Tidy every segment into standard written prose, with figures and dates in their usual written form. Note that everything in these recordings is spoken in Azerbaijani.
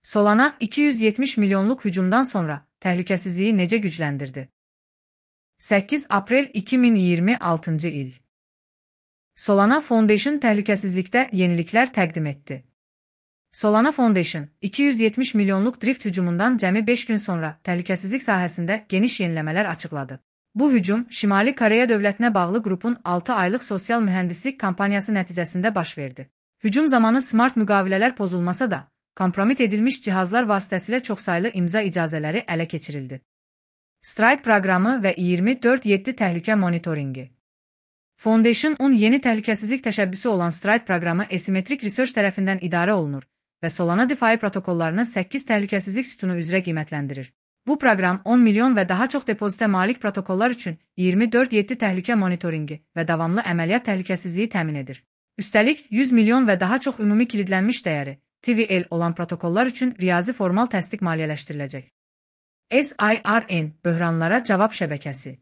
Solana 270 milyonluq hücumdan sonra təhlükəsizliyi necə gücləndirdi? 8 aprel 2026 il. Solana Foundation təhlükəsizlikdə yeniliklər təqdim etdi. Solana Foundation 270 milyonluq drift hücumundan cəmi 5 gün sonra təhlükəsizlik sahəsində geniş yeniləmələr açıqladı. Bu hücum Şimali Koreya dövlətinə bağlı qrupun 6 aylıq sosial mühəndislik kampaniyası nəticəsində baş verdi. Hücum zamanı smart müqavilələr pozulmasa da, kompromit edilmiş cihazlar vasitəsilə çoxsaylı imza icazələri ələ keçirildi. Stride proqramı və 24/7 təhlükə monitoringi. Foundation 10 yeni təhlükəsizlik təşəbbüsü olan Stride proqramı Asymmetric Research tərəfindən idarə olunur və Solana DeFi protokollarını 8 təhlükəsizlik sütunu üzrə qiymətləndirir. Bu proqram 10 milyon və daha çox depozitə malik protokollar üçün 24/7 təhlükə monitoringi və davamlı əməliyyat təhlükəsizliyi təmin edir. Üstəlik 100 milyon və daha çox ümumi kilidlənmiş dəyəri TVL olan protokollar üçün riyazi formal təsdiq maliyyələşdiriləcək. SIRN böhranlara cavab şəbəkəsi.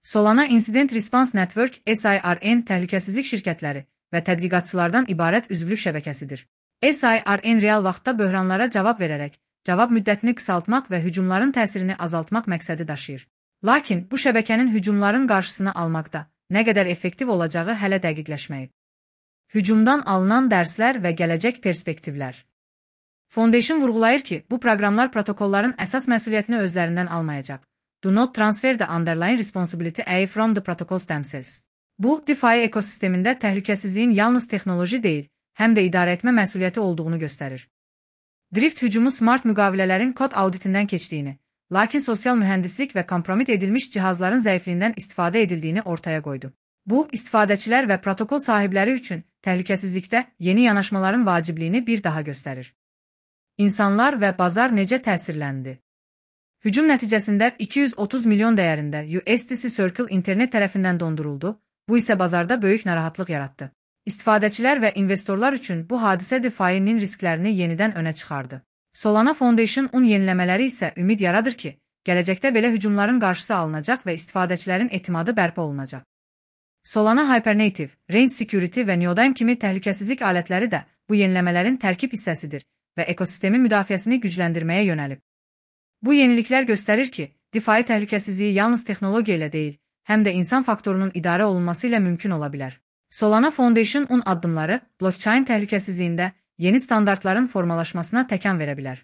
Solana Incident Response Network SIRN təhlükəsizlik şirkətləri və tədqiqatçılardan ibarət üzvlük şəbəkəsidir. SIRN real vaxtda böhranlara cavab verərək, cavab müddətini qısaltmaq və hücumların təsirini azaltmaq məqsədi daşıyır. Lakin bu şəbəkənin hücumların qarşısını almaqda nə qədər effektiv olacağı hələ dəqiqləşməyib. Hücumdan alınan dərslər və gələcək perspektivlər. Foundation vurğulayır ki, bu proqramlar protokolların əsas məsuliyyətini özlərindən almayacaq. Do not transfer the underlying responsibility away from the protocols themselves. Bu, DeFi ekosistemində təhlükəsizliyin yalnız texnoloji deyil, həm də idarə etmə məsuliyyəti olduğunu göstərir. Drift hücumu smart müqavilələrin kod auditindən keçdiyini, lakin sosial mühəndislik və kompromit edilmiş cihazların zəifliyindən istifadə edildiyini ortaya qoydu. Bu, istifadəçilər və protokol sahibləri üçün təhlükəsizlikdə yeni yanaşmaların vacibliyini bir daha göstərir. İnsanlar və bazar necə təsirləndi? Hücum nəticəsində 230 milyon dəyərində USDC Circle internet tərəfindən donduruldu, bu isə bazarda böyük narahatlıq yaratdı. İstifadəçilər və investorlar üçün bu hadisə DeFi-nin risklərini yenidən önə çıxardı. Solana Foundation 10 yeniləmələri isə ümid yaradır ki, gələcəkdə belə hücumların qarşısı alınacaq və istifadəçilərin etimadı bərpa olunacaq. Solana Hypernative, Range Security və Neodime kimi təhlükəsizlik alətləri də bu yeniləmələrin tərkib hissəsidir və ekosistemin müdafiəsini gücləndirməyə yönəlib. Bu yeniliklər göstərir ki, DeFi təhlükəsizliyi yalnız texnologiya ilə deyil, həm də insan faktorunun idarə olunması ilə mümkün ola bilər. Solana Foundation 10 addımları blockchain təhlükəsizliyində yeni standartların formalaşmasına təkan verə bilər.